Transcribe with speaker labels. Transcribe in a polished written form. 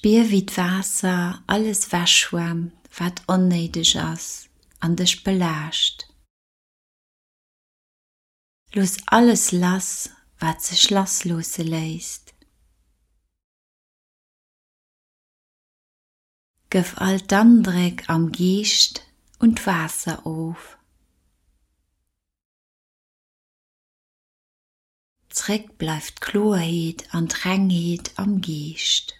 Speaker 1: Spier wéi d'Waasser alles wechschwemmt wat onnéideg ass an dech belaascht. Looss alles lass wat sech lassloosse léisst. Gëff all d'Andréck am Geescht un d'Waasser of. Zréck bleift d'Kloerheet an d'Rengheet am Geescht.